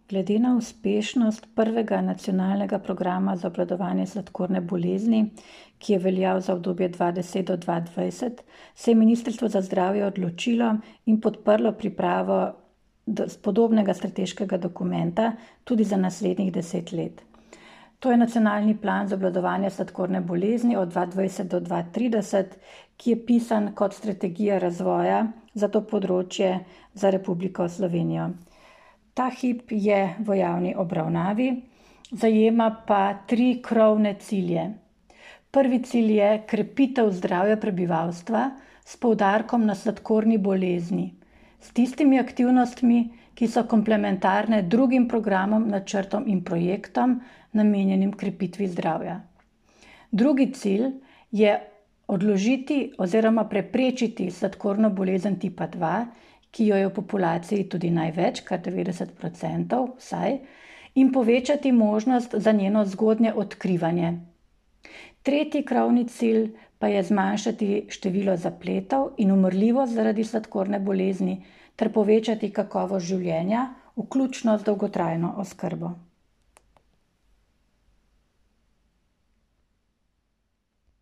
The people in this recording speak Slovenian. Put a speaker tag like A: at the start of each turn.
A: Glede na uspešnost prvega nacionalnega programa za obvladovanje sladkorne bolezni, ki je veljal za obdobje 2010 do 2020, se je Ministrstvo za zdravje odločilo in podprlo pripravo podobnega strateškega dokumenta tudi za naslednjih 10 let. To je nacionalni plan za obvladovanje sladkorne bolezni od 2020 do 2030, ki je pisan kot strategija razvoja za to področje za Republiko Slovenijo. Ta hip je v javni obravnavi, zajema pa 3 krovne cilje. Prvi cilj je krepitev zdravja prebivalstva s poudarkom na sladkorni bolezni, s tistimi aktivnostmi, ki so komplementarne drugim programom, načrtom in projektom, namenjenim krepitvi zdravja. Drugi cilj je odložiti oziroma preprečiti sladkorno bolezen tipa 2, ki jo je v populaciji tudi največ, kar 90% vsaj, in povečati možnost za njeno zgodnje odkrivanje. Tretji krovni cilj pa je zmanjšati število zapletov in umrljivost zaradi sladkorne bolezni ter povečati kakovost življenja, vključno z dolgotrajno oskrbo.